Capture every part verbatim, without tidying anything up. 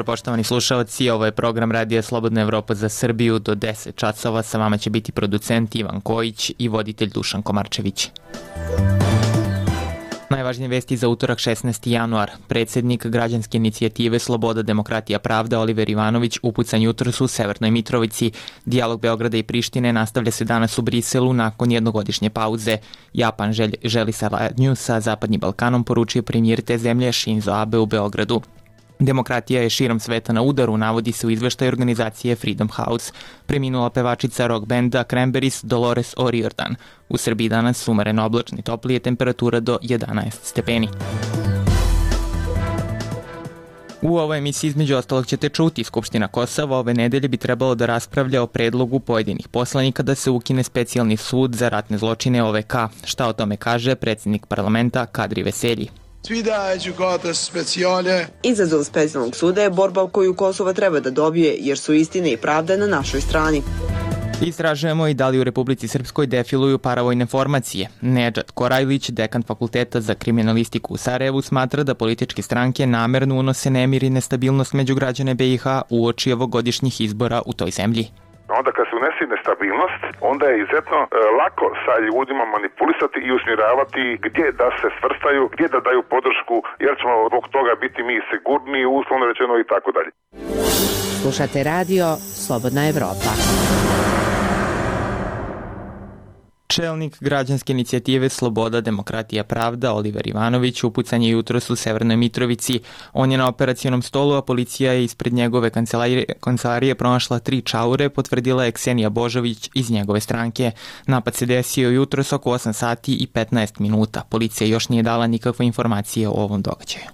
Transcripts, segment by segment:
jutro, poštovani slušalci. Ovo je program Radija Slobodna Evropa za Srbiju. Do deset časova sa vama će biti producent Ivan Kojić i voditelj Dušan Komarčević. Najvažnije vesti za utorak šesnaesti januar. Predsednik građanske inicijative Sloboda, demokratija, pravda Oliver Ivanović upucan jutros u Severnoj Mitrovici. Dijalog Beograda i Prištine nastavlja se danas u Briselu nakon jednogodišnje pauze. Japan želj, želi saradnju sa Zapadnim Balkanom, poručio premijer te zemlje Shinzo Abe u Beogradu. Demokratija je širom sveta na udaru, navodi se u izveštaju organizacije Freedom House. Preminula pevačica rock benda Cranberries Dolores O'Riordan. U Srbiji danas umereno oblačni, toplije, temperatura do jedanaest stepeni. U ovoj emisiji između ostalog ćete čuti Skupština Kosova ove nedelje bi trebalo da raspravlja o predlogu pojedinih poslanika da se ukine specijalni sud za ratne zločine O V K. Šta o tome kaže predsjednik parlamenta Kadri Veselji? Izazov specijalnog suda je borba koju Kosovo treba da dobije, jer su istine i pravda na našoj strani. Istražujemo i da li u Republici Srpskoj defiluju paravojne formacije. Nedžad Korajlić, dekan Fakulteta za kriminalistiku u Sarajevu, smatra da političke stranke namerno unose nemir i nestabilnost među građane B i H uoči ovogodišnjih izbora u toj zemlji. Onda kad se unese nestabilnost, onda je izuzetno e, lako sa ljudima manipulisati i usmjeravati gdje da se svrstaju, gdje da daju podršku, jer ćemo zbog toga biti mi sigurni, uslovno rečeno i tako dalje. Slušate radio Slobodna Evropa. Čelnik građanske inicijative Sloboda, demokratija, pravda Oliver Ivanović upucan je jutros u Severnoj Mitrovici. On je na operacionom stolu, a policija je ispred njegove kancelarije, kancelarije pronašla tri čaure, potvrdila je Ksenija Božović iz njegove stranke. Napad se desio jutros oko osam sati i petnaest minuta. Policija još nije dala nikakve informacije o ovom događaju.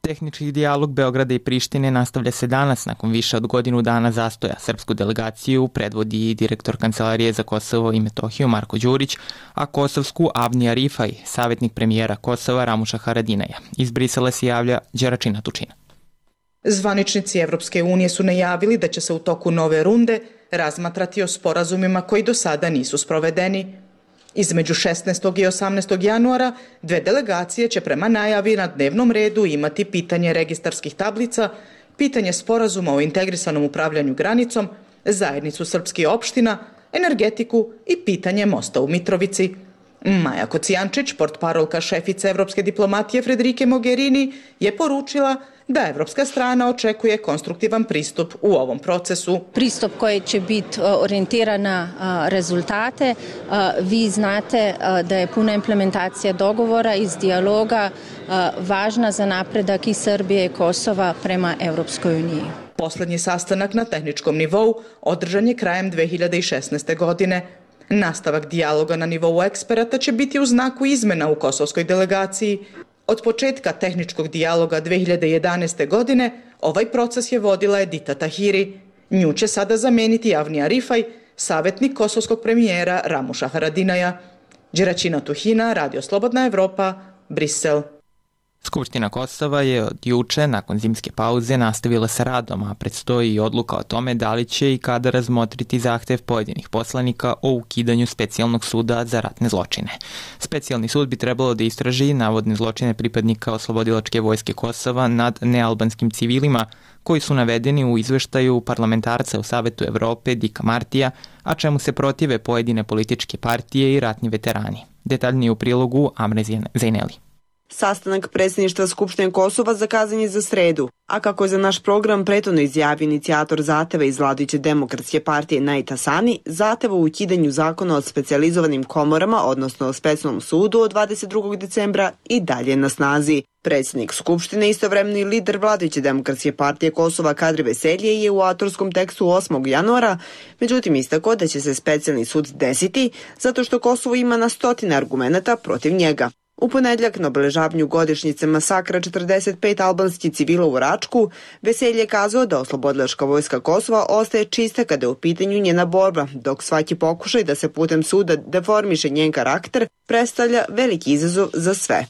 Tehnički dijalog Beograda i Prištine nastavlja se danas nakon više od godinu dana zastoja. Srpsku delegaciju predvodi direktor Kancelarije za Kosovo i Metohiju Marko Đurić, a kosovsku Avni Arifaj, savjetnik premijera Kosova Ramuša Haradinaja. Iz Brisela se javlja Đeračina Tučina. Zvaničnici Evropske unije su najavili da će se u toku nove runde razmatrati o sporazumima koji do sada nisu sprovedeni. Između šesnaestog i osamnaestog januara dve delegacije će prema najavi na dnevnom redu imati pitanje registarskih tablica, pitanje sporazuma o integrisanom upravljanju granicom, zajednicu srpskih opština, energetiku i pitanje mosta u Mitrovici. Maja Kocijančić, portparolka šefice evropske diplomatije Frederike Mogherini, je poručila da evropska strana očekuje konstruktivan pristup u ovom procesu. Pristup koji će biti orijentiran na rezultate. Vi znate da je puna implementacija dogovora iz dijaloga važna za napredak i Srbije i Kosova prema Evropskoj uniji. Poslednji sastanak na tehničkom nivou održan je krajem dve hiljade šesnaeste. godine. Nastavak dijaloga na nivou eksperata će biti u znaku izmena u kosovskoj delegaciji. Od početka tehničkog dijaloga dve hiljade jedanaeste. godine ovaj proces je vodila Edita Tahiri. Nju će sada zameniti Avni Arifaj, savjetnik kosovskog premijera Ramuša Haradinaja. Đeračina Tuhina, Radio Slobodna Evropa, Brisel. Skupština Kosova je od juče, nakon zimske pauze, nastavila sa radom, a predstoji i odluka o tome da li će i kada razmotriti zahtev pojedinih poslanika o ukidanju specijalnog suda za ratne zločine. Specijalni sud bi trebalo da istraži navodne zločine pripadnika Oslobodilačke vojske Kosova nad nealbanskim civilima, koji su navedeni u izveštaju parlamentarca u Savetu Evrope Dika Martija, a čemu se protive pojedine političke partije i ratni veterani. Detaljnije u prilogu Amre Zejneli. Sastanak predsjedništva Skupštine Kosova zakazan je za sredu, a kako je za naš program prethodno izjavio inicijator zahteva iz vladajuće demokratske partije Najit Hasani, zahteva u ukidanju zakona o specijalizovanim komorama, odnosno o specijalnom sudu od dvadeset drugog decembra i dalje na snazi. Predsjednik Skupštine, istovremeno i lider vladajuće demokratske partije Kosova Kadri Veselji je u autorskom tekstu osmog januara, međutim istakao da će se specijalni sud desiti zato što Kosovo ima na stotine argumenata protiv njega. U ponedjeljak na obeležavanju godišnjice masakra četrdeset pet albanskih civila u Račku, Veselje je kazao da Oslobodilačka vojska Kosova ostaje čista kada je u pitanju njena borba, dok svaki pokušaj da se putem suda deformiše njen karakter predstavlja veliki izazov za sve.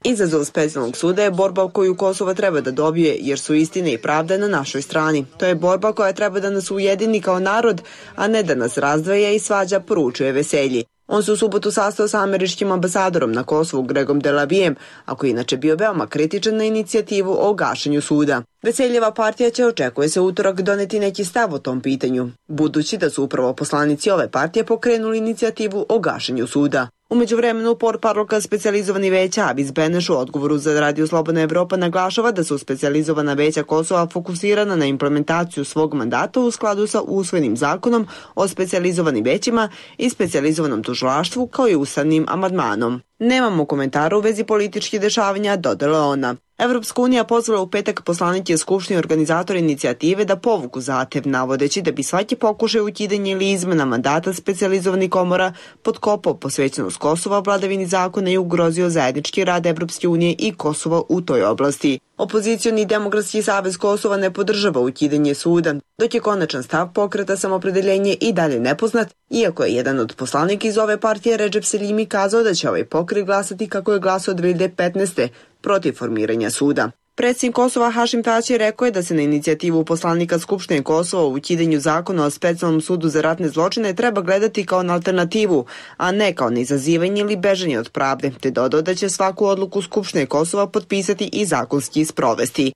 Izazov specijalnog suda je borba koju Kosovo treba da dobije, jer su istine i pravda na našoj strani. To je borba koja treba da nas ujedini kao narod, a ne da nas razdvaja i svađa, poručuje Veselji. On se u subotu sastao sa američkim ambasadorom na Kosovu Gregom Delavijem, a koji inače bio veoma kritičan na inicijativu o gašenju suda. Veseljeva partija će, očekuje se, utorak doneti neki stav o tom pitanju, budući da su upravo poslanici ove partije pokrenuli inicijativu o gašenju suda. U međuvremenu, portparolka specijalizovani veća Avis Beneš u odgovoru za Radio Slobodna Evropa naglašava da su specijalizovana veća Kosova fokusirana na implementaciju svog mandata u skladu sa usvojenim zakonom o specijalizovanim većima i specijalizovanom tužilaštvu kao i ustavnim amandmanom. Nemamo komentara u vezi političkih dešavanja, dodala ona. Evropska unija pozvala u petak poslanike Skupštine organizatora inicijative da povuku zahtev, navodeći da bi svaki pokušaj ukidanja ili izmena mandata specijalizovanih komora potkopao posvećenost Kosova vladavini zakona i ugrozio zajednički rad Evropske unije i Kosova u toj oblasti. Opozicioni Demokratski savez Kosova ne podržava ukidanje suda, dok je konačan stav Pokreta samopredeljenje i dalje nepoznat, iako je jedan od poslanika iz ove partije Redžep Selimi kazao da će ovaj pokret glasati kako je glasao dve hiljade petnaeste. protiv formiranja suda. Predsjednik Kosova Hašim Tači rekao je da se na inicijativu poslanika Skupštine Kosova o ukidanju zakona o specijalnom sudu za ratne zločine treba gledati kao na alternativu, a ne kao na izazivanje ili bežanje od pravde, te dodao da će svaku odluku Skupštine Kosova potpisati i zakonski sprovesti.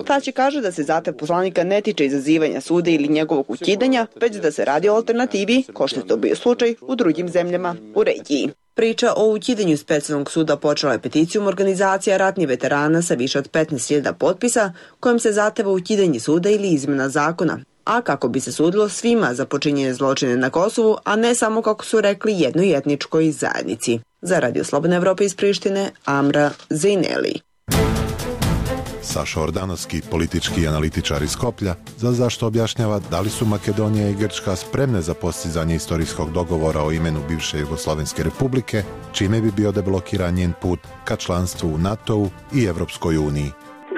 Tači kaže da se zahtev poslanika ne tiče izazivanja suda ili njegovog ukidanja, već da se radi o alternativi, kao što je to bio slučaj u drugim zemljama u regiji. Priča o ukidanju specijalnog suda počela je peticijom organizacija ratnih veterana sa više od petnaest hiljada potpisa, kojom se zahteva ukidanje suda ili izmena zakona, a kako bi se sudilo svima za počinjene zločine na Kosovu, a ne samo, kako su rekli, jednoj etničkoj zajednici. Za Radio Slobodna Evropa iz Prištine, Amra Zejneli. Saša Ordanovski, politički analitičar iz Skoplja, za zašto objašnjava da li su Makedonija i Grčka spremne za postizanje istorijskog dogovora o imenu bivše Jugoslovenske republike, čime bi bio deblokiran njen put ka članstvu u NATO-u i Evropskoj uniji.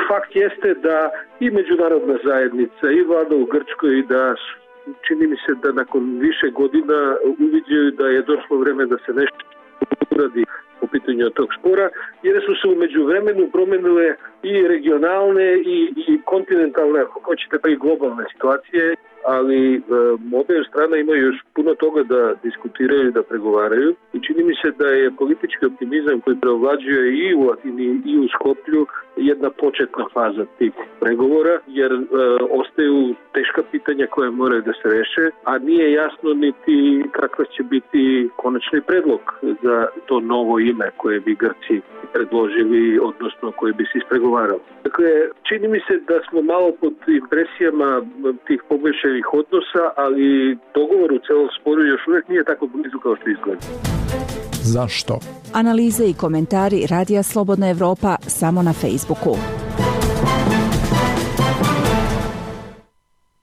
Fakt jeste da i međunarodna zajednica i vlada u Grčkoj, da čini mi se da nakon više godina uviđaju da je došlo vreme da se nešto uradi po pitanju tog spora, jer su se u međuvremenu promenile i regionalne i, i kontinentalne, ako hoćete, pa i globalne situacije, ali e, obe strane imaju još puno toga da diskutiraju i da pregovaraju i čini mi se da je politički optimizam koji preovlađuje i u Atini i u Skoplju jedna početna faza tih pregovora, jer e, ostaju teška pitanja koje moraju da se reše, a nije jasno niti kakva će biti konačni predlog za to novo ime koje bi Grci predložili, odnosno koje bi se ispregovaralo. Dakle, čini mi se da smo malo pod impresijama tih poboljšanih odnosa, ali dogovor u celom sporu još uvijek nije tako blizu kao što izgleda. Zašto? Analize i komentari Radija Slobodna Evropa samo na Facebooku.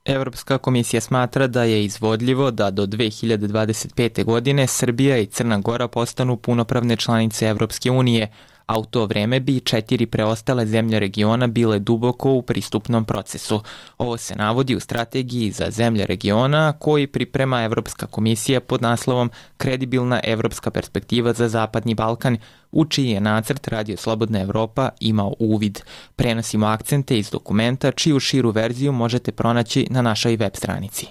Evropska komisija smatra da je izvodljivo da do dve hiljade dvadeset pete. godine Srbija i Crna Gora postanu punopravne članice Evropske unije, a u to vreme bi četiri preostale zemlje regiona bile duboko u pristupnom procesu. Ovo se navodi u strategiji za zemlje regiona koji priprema Evropska komisija pod naslovom Kredibilna evropska perspektiva za Zapadni Balkan, u čiji je nacrt Radio Slobodna Evropa imao uvid. Prenosimo akcente iz dokumenta, čiju širu verziju možete pronaći na našoj web stranici.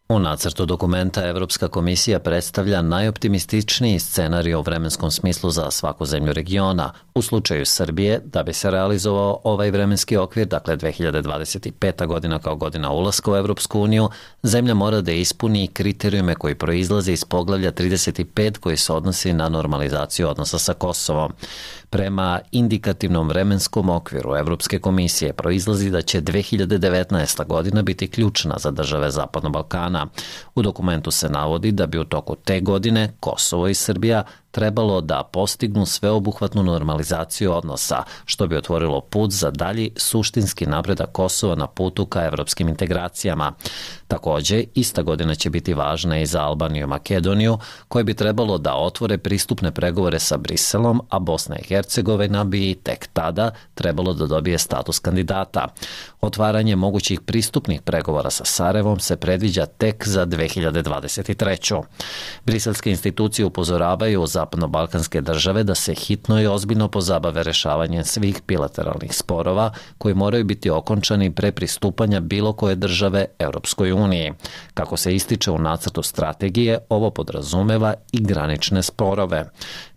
U nacrtu dokumenta Evropska komisija predstavlja najoptimističniji scenarij u vremenskom smislu za svaku zemlju regiona. U slučaju Srbije, da bi se realizovao ovaj vremenski okvir, dakle dve hiljade dvadeset peta. godina kao godina ulaska u Evropsku uniju, zemlja mora da ispuni kriterijume koji proizlaze iz poglavlja trideset pet koji se odnosi na normalizaciju odnosa sa Kosovom. Prema indikativnom vremenskom okviru Evropske komisije proizlazi da će dve hiljade devetnaesta. godina biti ključna za države Zapadnog Balkana. U dokumentu se navodi da bi u toku te godine Kosovo i Srbija trebalo da postignu sveobuhvatnu normalizaciju odnosa, što bi otvorilo put za dalji suštinski napredak Kosova na putu ka evropskim integracijama. Takođe, ista godina će biti važna i za Albaniju i Makedoniju, koje bi trebalo da otvore pristupne pregovore sa Briselom, a Bosna i Hercegovina bi tek tada trebalo da dobije status kandidata. Otvaranje mogućih pristupnih pregovora sa Sarajevom se predviđa tek za dve hiljade dvadeset treću. Briselske institucije upozoravaju za zapadno-balkanske države da se hitno i ozbiljno pozabave rešavanjem svih bilateralnih sporova koji moraju biti okončani pre pristupanja bilo koje države Evropskoj uniji. Kako se ističe u nacrtu strategije, ovo podrazumeva i granične sporove.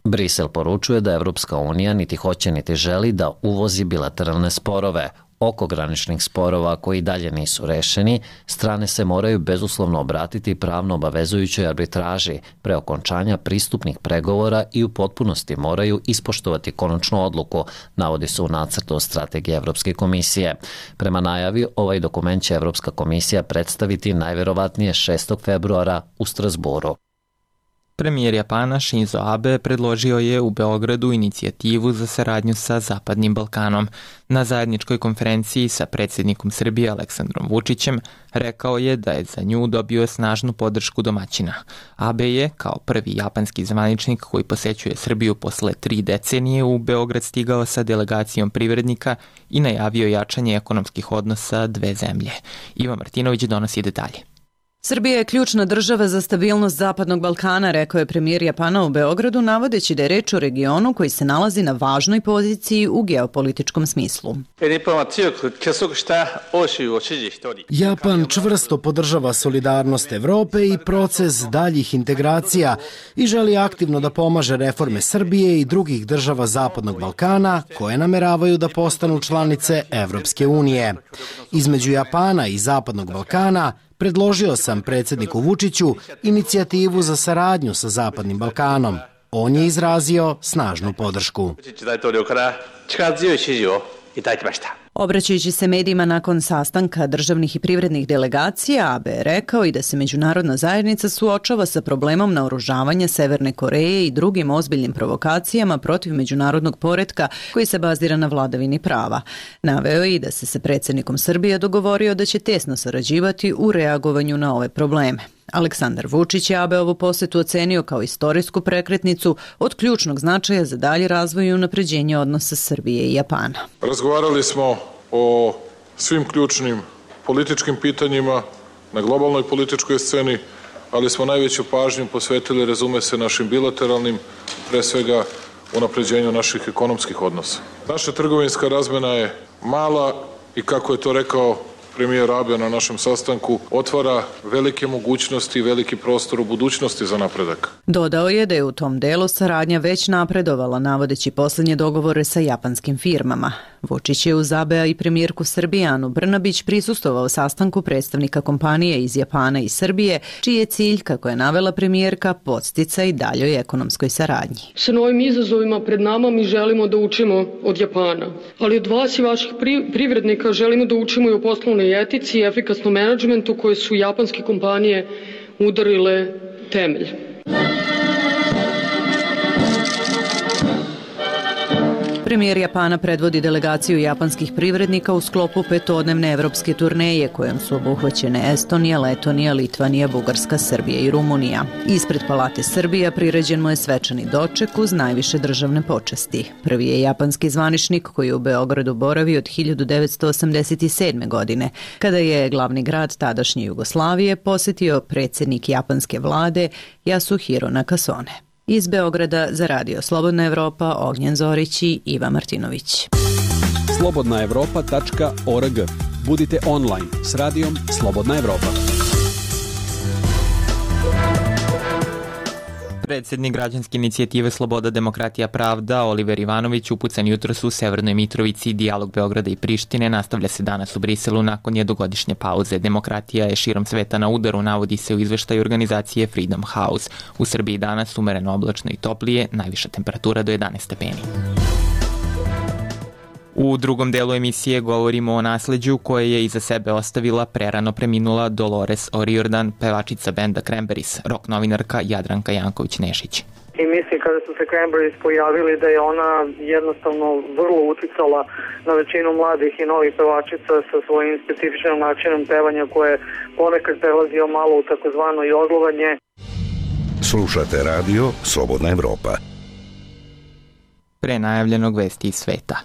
Brisel poručuje da Evropska unija niti hoće niti želi da uvozi bilateralne sporove. Oko graničnih sporova koji dalje nisu rešeni, strane se moraju bezuslovno obratiti pravno obavezujućoj arbitraži pre okončanja pristupnih pregovora i u potpunosti moraju ispoštovati konačnu odluku, navodi se u nacrtu strategije Evropske komisije. Prema najavi, ovaj dokument će Evropska komisija predstaviti najverovatnije šestog februara u Strasburu. Premijer Japana Shinzo Abe predložio je u Beogradu inicijativu za saradnju sa Zapadnim Balkanom. Na zajedničkoj konferenciji sa predsjednikom Srbije Aleksandrom Vučićem rekao je da je za nju dobio snažnu podršku domaćina. Abe je, kao prvi japanski zvaničnik koji posećuje Srbiju posle tri decenije, u Beograd stigao sa delegacijom privrednika i najavio jačanje ekonomskih odnosa dve zemlje. Ivan Martinović donosi detalje. Srbija je ključna država za stabilnost Zapadnog Balkana, rekao je premijer Japana u Beogradu, navodeći da je reč o regionu koji se nalazi na važnoj poziciji u geopolitičkom smislu. Japan čvrsto podržava solidarnost Evrope i proces daljih integracija i želi aktivno da pomaže reforme Srbije i drugih država Zapadnog Balkana koje nameravaju da postanu članice Evropske unije. Između Japana i Zapadnog Balkana predložio sam predsjedniku Vučiću inicijativu za saradnju sa Zapadnim Balkanom. On je izrazio snažnu podršku. Obraćajući se medijima nakon sastanka državnih i privrednih delegacija, Abe je rekao i da se međunarodna zajednica suočava sa problemom naoružavanja Severne Koreje i drugim ozbiljnim provokacijama protiv međunarodnog poretka koji se bazira na vladavini prava. Naveo je i da se sa predsjednikom Srbije dogovorio da će tesno sarađivati u reagovanju na ove probleme. Aleksandar Vučić je Abeovu posetu ocenio kao istorijsku prekretnicu od ključnog značaja za dalji razvoj i unapređenje odnosa Srbije i Japana. Razgovarali smo o svim ključnim političkim pitanjima na globalnoj političkoj sceni, ali smo najveću pažnju posvetili, razume se, našim bilateralnim, pre svega unapređenju naših ekonomskih odnosa. Naša trgovinska razmena je mala i, kako je to rekao premijer Abe na našem sastanku, otvara velike mogućnosti i veliki prostor u budućnosti za napredak. Dodao je da je u tom delu saradnja već napredovala, navodeći posljednje dogovore sa japanskim firmama. Vučić je uz Abea i premijerku Srbije Anu Brnabić prisustvovao sastanku predstavnika kompanije iz Japana i Srbije, čiji je cilj, kako je navela premijerka, podsticaj daljoj ekonomskoj saradnji. Sa novim izazovima pred nama mi želimo da učimo od Japana, ali od vas i vaših privrednika želimo da učimo i o poslovnoj etici i efikasnom menadžmentu koje su japanske kompanije udarile temelj. Premijer Japana predvodi delegaciju japanskih privrednika u sklopu petodnevne evropske turneje kojom su obuhvaćene Estonija, Letonija, Litvanija, Bugarska, Srbija i Rumunija. Ispred Palate Srbija priređen mu je svečani doček uz najviše državne počasti. Prvi je japanski zvaničnik koji je u Beogradu boravio od hiljadu devetsto osamdeset sedme. godine, kada je glavni grad tadašnje Jugoslavije posetio predsjednik japanske vlade Yasuhiro Nakasone. Iz Beograda za Radio Slobodna Evropa, Ognjen Zorić i Iva Martinović. slobodna evropa tačka org. Budite online s radijom Slobodna Evropa. Predsjednik građanske inicijative Sloboda, demokratija, pravda Oliver Ivanović upucan jutros u Severnoj Mitrovici. Dijalog Beograda i Prištine nastavlja se danas u Briselu nakon jednogodišnje pauze. Demokratija je širom sveta na udaru, navodi se u izveštaju organizacije Freedom House. U Srbiji danas umereno oblačno i toplije, najviša temperatura do jedanaest stepeni. U drugom delu emisije govorimo o nasleđu koje je iza sebe ostavila prerano preminula Dolores O'Riordan, pevačica benda Cranberries, rock novinarka Jadranka Janković-Nešić. I mislim kada su se Cranberries pojavili da je ona jednostavno vrlo uticala na većinu mladih i novih pevačica sa svojim specifičnim načinom pevanja koje ponekad prelazio malo u takozvano jodlovanje. Slušate radio Slobodna Evropa. Pre najavljenog vesti iz sveta.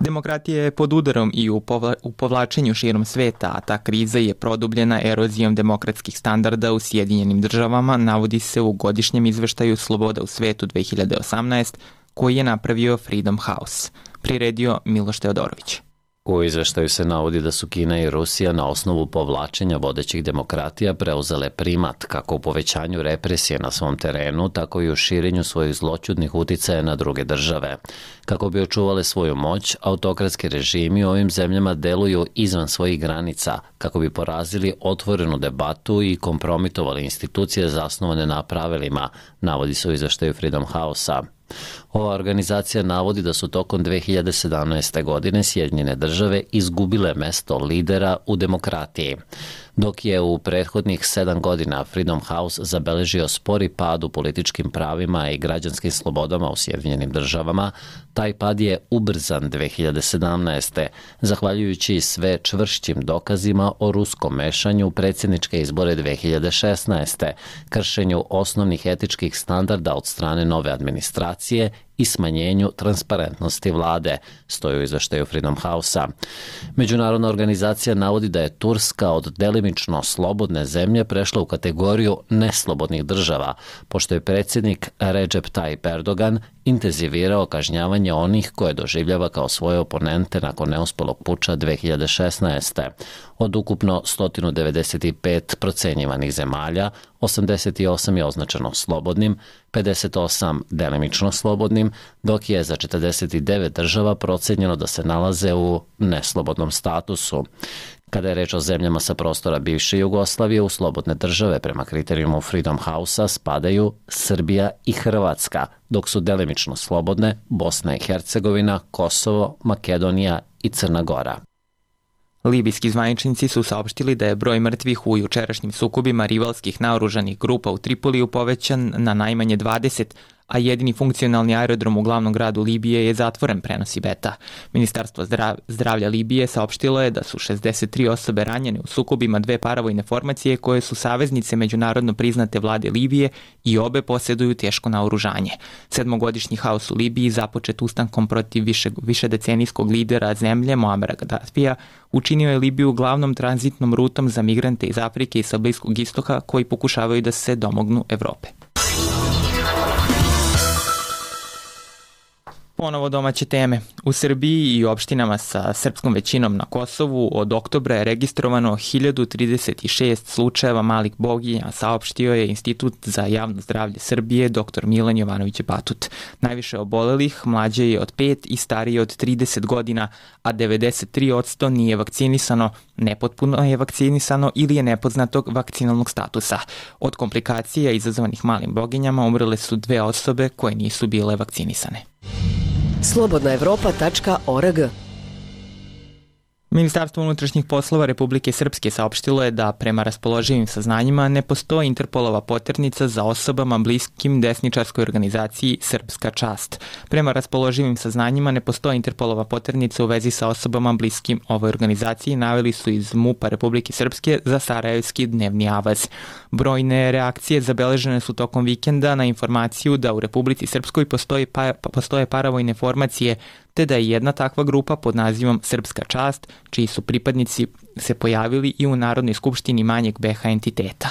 Demokratija je pod udarom i u, povla, u povlačenju širom sveta, a ta kriza je produbljena erozijom demokratskih standarda u Sjedinjenim državama, navodi se u godišnjem izveštaju Sloboda u svetu dve hiljade osamnaeste, koji je napravio Freedom House. Priredio Miloš Teodorović. U izveštaju se navodi da su Kina i Rusija na osnovu povlačenja vodećih demokratija preuzele primat kako u povećanju represije na svom terenu, tako i u širenju svojih zloćudnih uticaja na druge države. Kako bi očuvale svoju moć, autokratski režimi u ovim zemljama deluju izvan svojih granica, kako bi porazili otvorenu debatu i kompromitovali institucije zasnovane na pravilima, navodi se u izveštaju Freedom House-a. Ova organizacija navodi da su tokom dve hiljade sedamnaeste. godine Sjedinjene države izgubile mesto lidera u demokratiji. Dok je u prethodnih sedam godina Freedom House zabeležio spori pad u političkim pravima i građanskim slobodama u Sjedinjenim državama, taj pad je ubrzan dve hiljade sedamnaeste. zahvaljujući sve čvršćim dokazima o ruskom mešanju u predsjedničke izbore dve hiljade šesnaeste. kršenju osnovnih etičkih standarda od strane nove administracije i smanjenju transparentnosti vlade, stoji u izveštaju Freedom House-a. Međunarodna organizacija navodi da je Turska od delimično slobodne zemlje prešla u kategoriju neslobodnih država, pošto je predsjednik Recep Tayyip Erdogan intenzivirao kažnjavanje onih koje doživljava kao svoje oponente nakon neuspelog puča dve hiljade šesnaeste. Od ukupno sto devedeset pet procenjivanih zemalja, osamdeset osam je označeno slobodnim, pedeset osam delimično slobodnim, dok je za četrdeset devet država procenjeno da se nalaze u neslobodnom statusu. Kada je reč o zemljama sa prostora bivše Jugoslavije, u slobodne države prema kriterijumu Freedom House-a spadaju Srbija i Hrvatska, dok su delimično slobodne Bosna i Hercegovina, Kosovo, Makedonija i Crna Gora. Libijski zvaničnici su saopštili da je broj mrtvih u jučerašnjim sukobima rivalskih naoružanih grupa u Tripoliju povećan na najmanje dvadeset, a jedini funkcionalni aerodrom u glavnom gradu Libije je zatvoren, prenosi Beta. Ministarstvo zdravlja Libije saopštilo je da su šezdeset tri osobe ranjene u sukobima dve paravojne formacije koje su saveznice međunarodno priznate vlade Libije i obe posjeduju teško naoružanje. Sedmogodišnji haos u Libiji, započet ustankom protiv više, višedecenijskog lidera zemlje Muamera Gaddafija, učinio je Libiju glavnom tranzitnom rutom za migrante iz Afrike i sa Bliskog istoka koji pokušavaju da se domognu Evrope. Ponovo domaće teme. U Srbiji i opštinama sa srpskom većinom na Kosovu od oktobra je registrovano hiljadu trideset šest slučajeva malih boginja, saopštio je Institut za javno zdravlje Srbije dr Milan Jovanović Batut. Najviše obolelih mlađe je od pet i starije od trideset godina, a devedeset tri posto nije vakcinisano, nepotpuno je vakcinisano ili je nepoznatog vakcinalnog statusa. Od komplikacija izazvanih malim boginjama umrle su dve osobe koje nisu bile vakcinisane. slobodna evropa tačka org. Ministarstvo unutrašnjih poslova Republike Srpske saopštilo je da prema raspoloživim saznanjima ne postoji Interpolova poternica za osobama bliskim desničarskoj organizaciji Srpska čast. Prema raspoloživim saznanjima ne postoji Interpolova poternica u vezi sa osobama bliskim ovoj organizaciji, naveli su iz MUP-a Republike Srpske za Sarajevski dnevni avaz. Brojne reakcije zabeležene su tokom vikenda na informaciju da u Republici Srpskoj postoji pa, postoje paravojne formacije, te da je jedna takva grupa pod nazivom Srpska čast, čiji su pripadnici se pojavili i u Narodnoj skupštini manjeg B H entiteta.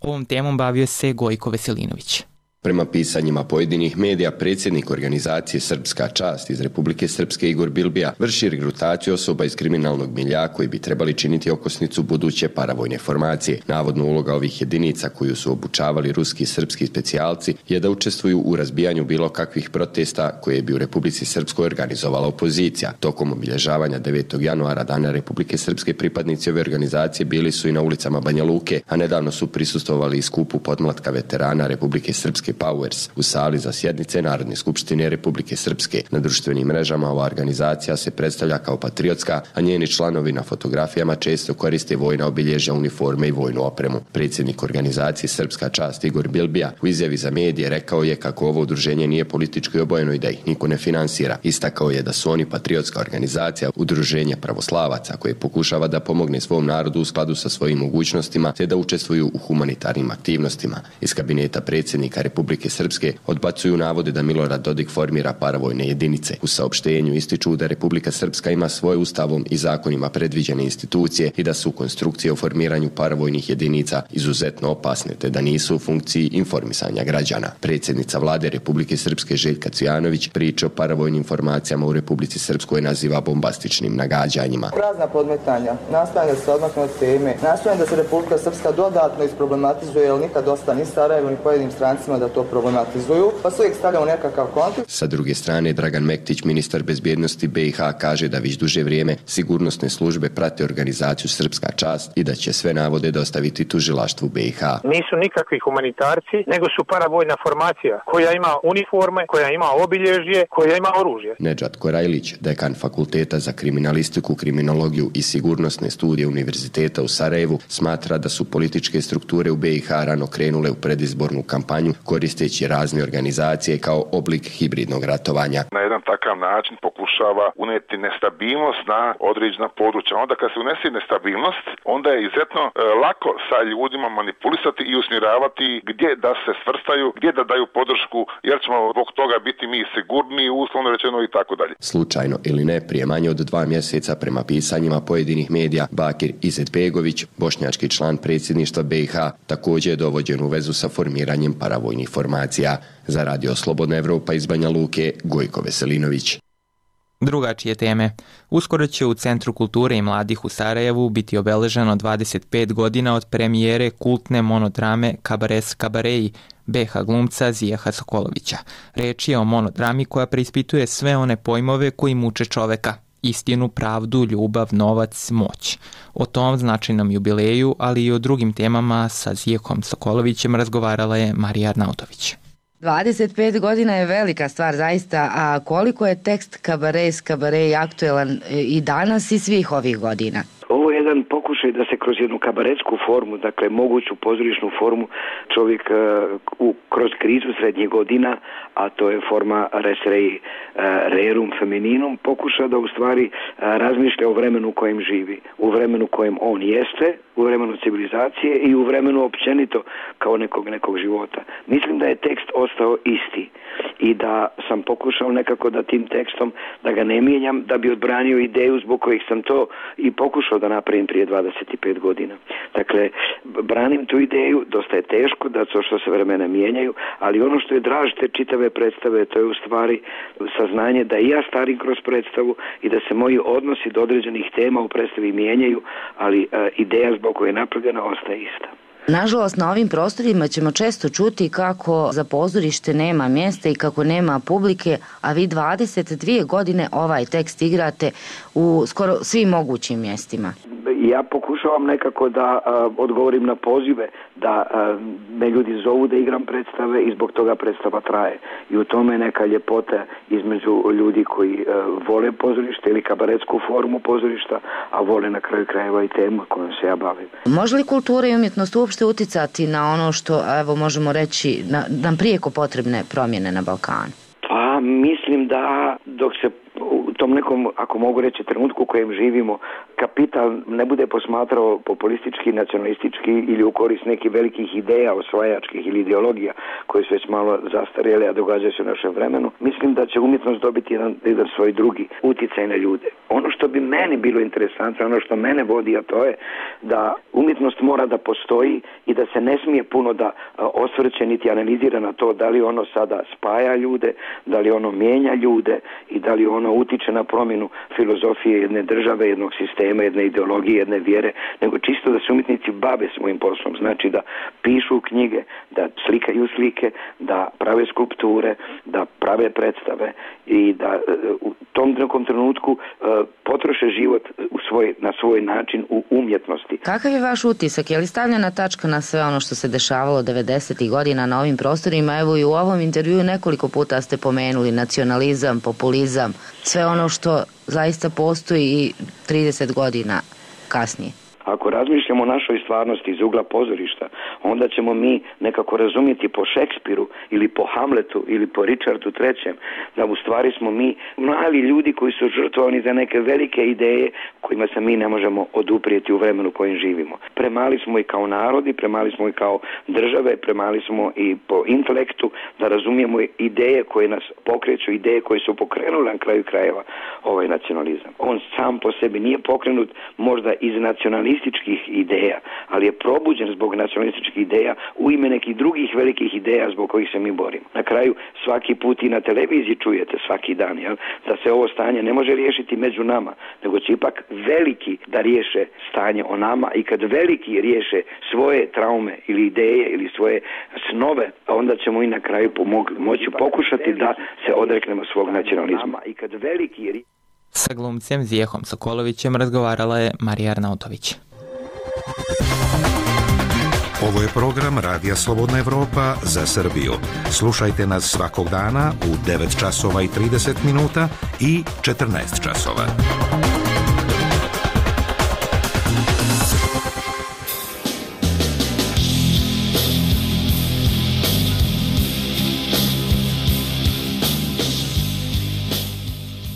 Ovom temom bavio se Gojko Veselinović. Prema pisanjima pojedinih medija, predsjednik organizacije Srpska čast iz Republike Srpske Igor Bilbija vrši regrutaciju osoba iz kriminalnog milja koji bi trebali činiti okosnicu buduće paravojne formacije. Navodno uloga ovih jedinica koju su obučavali ruski i srpski specijalci je da učestvuju u razbijanju bilo kakvih protesta koje bi u Republici Srpskoj organizovala opozicija. Tokom obilježavanja devetog januara Dana Republike Srpske pripadnici ove organizacije bili su i na ulicama Banja Luke, a nedavno su prisustvovali i skupu podmlatka veterana Republike Srpske Powers u sali za sjednice Narodne skupštine Republike Srpske. Na društvenim mrežama ova organizacija se predstavlja kao patriotska, a njeni članovi na fotografijama često koriste vojna obilježja, uniforme i vojnu opremu. Predsjednik organizacije Srpska čast Igor Bilbija u izjavi za medije rekao je kako ovo udruženje nije politički obojeno i da ih niko ne finansira. Istakao je da su oni patriotska organizacija, udruženje pravoslavaca koje pokušava da pomogne svom narodu u skladu sa svojim mogućnostima te da učestvuju u humanitarnim aktivnostima. Iz kabineta predsjednika Republike Republike Srpske odbacuju navode da Milorad Dodik formira paravojne jedinice. U saopštenju ističu da Republika Srpska ima svoje ustavom i zakonima predviđene institucije i da su konstrukcije o formiranju paravojnih jedinica izuzetno opasne te da nisu u funkciji informisanja građana. Predsjednica vlade Republike Srpske Željka Cvijanović priče o paravojnim formacijama u Republici Srpskoj naziva bombastičnim nagađanjima. Prazna podmetanja, nastojanje da se odmakne od teme, nastojanje da se Republika Srpska dodatno isproblematizuje, jer nikad dosta ni Sarajevo ni pojedinim strancima da to problematizuju, pa se uvijek stavlja u nekakav kontekst. Sa druge strane, Dragan Mektić, ministar bezbjednosti B i H, kaže da već duže vrijeme sigurnosne službe prate organizaciju Srpska čast i da će sve navode dostaviti tužilaštvu B i H. Nisu nikakvi humanitarci, nego su paravojna formacija koja ima uniforme, koja ima obilježje, koja ima oružje. Nedžad Korajlić, dekan Fakulteta za kriminalistiku, kriminologiju i sigurnosne studije Univerziteta u Sarajevu, smatra da su političke strukture u B i H rano krenule u predizbornu kampanju koristeći razne organizacije kao oblik hibridnog ratovanja. Na jedan takav način pokušava uneti nestabilnost na određena područja. Onda kad se unese nestabilnost, onda je izuzetno e, lako sa ljudima manipulisati i usmjeravati gdje da se svrstaju, gdje da daju podršku, jer ćemo zbog toga biti mi sigurniji, uslovno rečeno i tako dalje. Slučajno ili ne, prije manje od dva mjeseca prema pisanjima pojedinih medija, Bakir Izetbegović, bošnjački član predsjedništva B i H, također je dovođen u vezu sa formiranjem paravojnih formacija. Za Radio Slobodna Evropa iz Banja Luke, Gojko Veselinović. Drugačije teme. Uskoro će u Centru kulture i mladih u Sarajevu biti obeleženo dvadeset pet godina od premijere kultne monodrame Kabares Kabareji B H glumca Zijaha Sokolovića. Reč je o monodrami koja preispituje sve one pojmove koji muče čoveka. Istinu, pravdu, ljubav, novac, moć. O tom značajnom jubileju, ali i o drugim temama sa Zijahom Sokolovićem razgovarala je Marija Arnautović. dvadeset pet godina je velika stvar zaista, a koliko je tekst Kabares Kabareji aktuelan i danas i svih ovih godina? Ovo je jedan pokušaj da se kroz jednu kabaretsku formu, dakle moguću pozorišnu formu, čovjek uh, u, kroz krizu srednjih godina, a to je forma res rei uh, rerum femininum, pokuša da u stvari uh, razmišlja o vremenu u kojem živi, u vremenu u kojem on jeste, u vremenu civilizacije i u vremenu općenito kao nekog nekog života. Mislim da je tekst ostao isti i da sam pokušao nekako da tim tekstom, da ga ne mijenjam, da bi odbranio ideju zbog kojih sam to i pokušao da napravim prije dvadeset pet godina. Dakle, branim tu ideju, dosta je teško da to što se vremena mijenjaju, ali ono što je draž te čitave predstave, to je u stvari saznanje da i ja starim kroz predstavu i da se moji odnosi do određenih tema u predstavi mijenjaju, ali uh, ideja zbog koje je napravljena ostaje ista. Nažalost, na ovim prostorima ćemo često čuti kako za pozorište nema mjesta i kako nema publike, a vi dvadeset dvije godine ovaj tekst igrate u skoro svim mogućim mjestima. Ja pokušavam nekako da uh, odgovorim na pozive, da uh, me ljudi zovu da igram predstave i zbog toga predstava traje. I u tome je neka ljepota između ljudi koji uh, vole pozorište ili kabaretsku formu pozorišta, a vole na kraju krajeva i temu kojom se ja bavim. Može li kultura i umjetnost uopšte uticati na ono što, evo možemo reći, na, nam prijeko potrebne promjene na Balkanu? Pa mislim da dok se u tom nekom, ako mogu reći, trenutku u kojem živimo, kapital ne bude posmatrao populistički, nacionalistički ili u korist nekih velikih ideja, osvajačkih ili ideologija koje su već malo zastarjele, a događaju se u našem vremenu, mislim da će umjetnost dobiti jedan, jedan svoj drugi uticaj na ljude. Ono što bi meni bilo interesantno, ono što mene vodi, a to je da umjetnost mora da postoji i da se ne smije puno da osvrće niti analizira na to da li ono sada spaja ljude, da li ono mijenja ljude i da li ono utiče na promjenu filozofije jedne države, jednog sistema, jedne ideologije, jedne vjere, nego čisto da se umjetnici bave svojim poslom. Znači da pišu knjige, da slikaju slike, da prave skulpture, da prave predstave i da u tom nekom trenutku potroše život u svoj, na svoj način u umjetnosti. Kakav je vaš utisak? Je li stavljena tačka na sve ono što se dešavalo devedesetih godina na ovim prostorima? Evo i u ovom intervjuu nekoliko puta ste pomenuli nacionalizam, populizam, sve ono što zaista postoji i trideset godina kasnije. Ako razmišljamo o našoj stvarnosti iz ugla pozorišta, onda ćemo mi nekako razumjeti po Šekspiru ili po Hamletu ili po Richardu trećem da u stvari smo mi mali ljudi koji su žrtvovani za neke velike ideje kojima se mi ne možemo oduprijeti u vremenu u kojem živimo. Premali smo i kao narodi, premali smo i kao države, premali smo i po intelektu da razumijemo ideje koje nas pokreću, ideje koje su pokrenule na kraju krajeva ovaj nacionalizam. On sam po sebi nije pokrenut možda iz nacionalističkih ideja, ali je probuđen zbog nacionalističkih ideja u ime nekih drugih velikih ideja zbog kojih se mi borimo. Na kraju svaki put i na televiziji čujete svaki dan, jel, da se ovo stanje ne može riješiti među nama, nego će ipak veliki da riješe stanje o nama i kad veliki riješe svoje traume ili ideje ili svoje snove, onda ćemo i na kraju pomog, moći pokušati da se odreknemo svog nacionalizma. I kad veliki... Sa glumcem Zijehom Sokolovićem razgovarala je Marija Arnautović. Ovo je program Radija Slobodna Evropa za Srbiju. Slušajte nas svakog dana u devet časova i trideset minuta i četrnaest časova.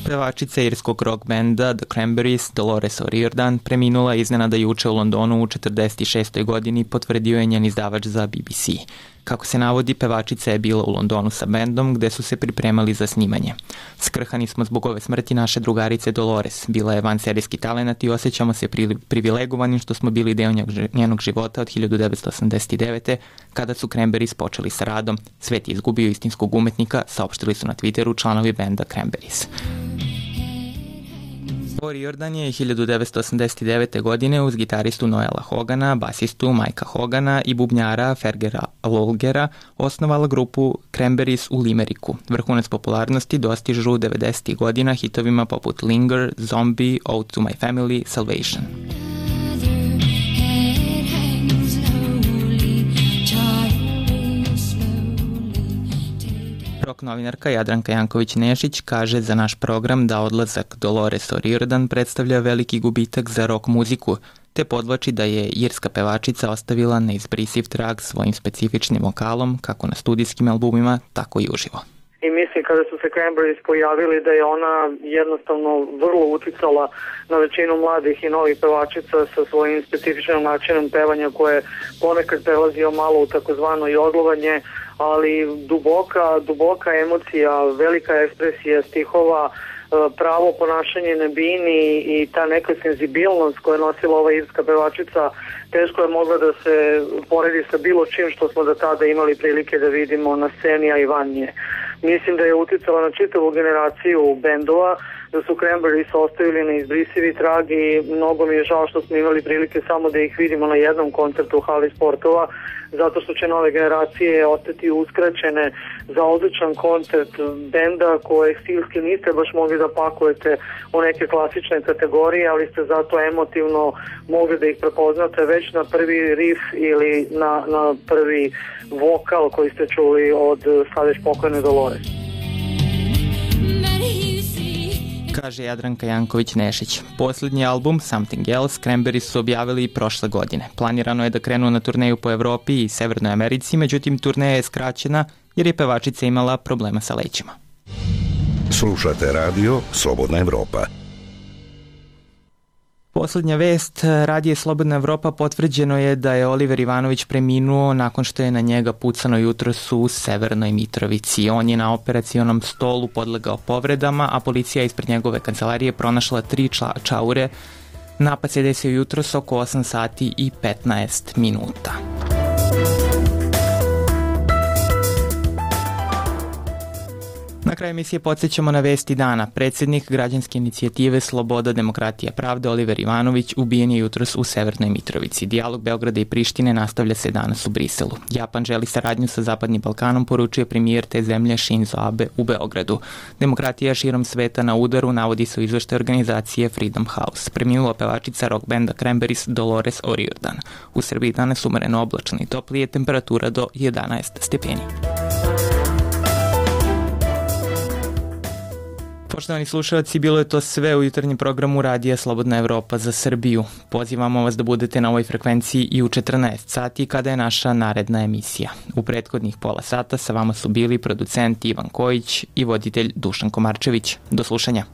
Pevačica irskog rock benda The Cranberries, Dolores O'Riordan, preminula iznenada juče u Londonu u četrdeset šestoj godini, potvrdio je njen izdavač za B B C. Kako se navodi, pevačica je bila u Londonu sa bendom gde su se pripremali za snimanje. Skrhani smo zbog ove smrti naše drugarice Dolores. Bila je vanserijski talenat i osjećamo se privilegovanim što smo bili deo njenog života od hiljadu devetsto osamdeset devete. kada su Cranberries počeli sa radom. Svet je izgubio istinskog umetnika, saopštili su na Twitteru članovi benda Cranberries. O'Riordan je hiljadu devetsto osamdeset devete. godine uz gitaristu Noela Hogana, basistu Mikea Hogana i bubnjara Fergera Lolgera osnovala grupu Cranberries u Limeriku. Vrhunac popularnosti dostižu devedesetih godina hitovima poput Linger, Zombie, Ode to My Family, Salvation. Rock novinarka Jadranka Janković-Nešić kaže za naš program da odlazak Dolores O'Riordan predstavlja veliki gubitak za rock muziku, te podvlači da je irska pevačica ostavila neizbrisiv trag svojim specifičnim vokalom kako na studijskim albumima, tako i uživo. I mislim kada su se Cranberries pojavili da je ona jednostavno vrlo uticala na većinu mladih i novih pevačica sa svojim specifičnim načinom pevanja koje ponekad prelazio malo u takozvano jodlovanje, ali duboka, duboka emocija, velika ekspresija stihova, pravo ponašanje na bini i ta neka senzibilnost koja je nosila ova irska pevačica teško je mogla da se poredi sa bilo čim što smo do tada imali prilike da vidimo na sceni, a i van nje. Mislim da je uticala na čitavu generaciju bendova, da su Cranberries ostavili neizbrisivi trag i mnogo mi je žao što smo imali prilike samo da ih vidimo na jednom koncertu u hali sportova, zato što će nove generacije ostati uskraćene za odličan koncert benda koje stilski niste baš mogli da pakujete u neke klasične kategorije, ali ste zato emotivno mogli da ih prepoznate već na prvi riff ili na, na prvi vokal koji ste čuli od sad već pokojne Dolores. Kaže Jadranka Janković-Nešić. Posljednji album, Something Else, Cranberries su objavili i prošle godine. Planirano je da krenu na turneju po Evropi i Severnoj Americi, međutim turneja je skraćena jer je pevačica imala problema sa lećima. Slušate radio Slobodna Evropa. Poslednja vest, radije Slobodna Evropa, potvrđeno je da je Oliver Ivanović preminuo nakon što je na njega pucano jutros u Severnoj Mitrovici. On je na operacionom stolu podlegao povredama, a policija ispred njegove kancelarije pronašla tri čaure. Napad se desio jutros oko osam sati i petnaest minuta. Na kraju emisije podsjećamo na vesti dana. Predsjednik građanske inicijative Sloboda, demokratija, pravda Oliver Ivanović ubijen je jutros u Severnoj Mitrovici. Dijalog Beograda i Prištine nastavlja se danas u Briselu. Japan želi saradnju sa Zapadnim Balkanom, poručuje premijer te zemlje Shinzo Abe u Beogradu. Demokratija širom sveta na udaru, navodi se u izveštaju organizacije Freedom House. Preminula pevačica rock benda Cranberries Dolores O'Riordan. U Srbiji danas umereno oblačno i toplije, temperatura do jedanaest stepeni. Poštovani slušalci, bilo je to sve u jutarnjem programu Radija Slobodna Evropa za Srbiju. Pozivamo vas da budete na ovoj frekvenciji i u četrnaest sati kada je naša naredna emisija. U prethodnih pola sata sa vama su bili producent Ivan Kojić i voditelj Dušan Komarčević. Do slušanja.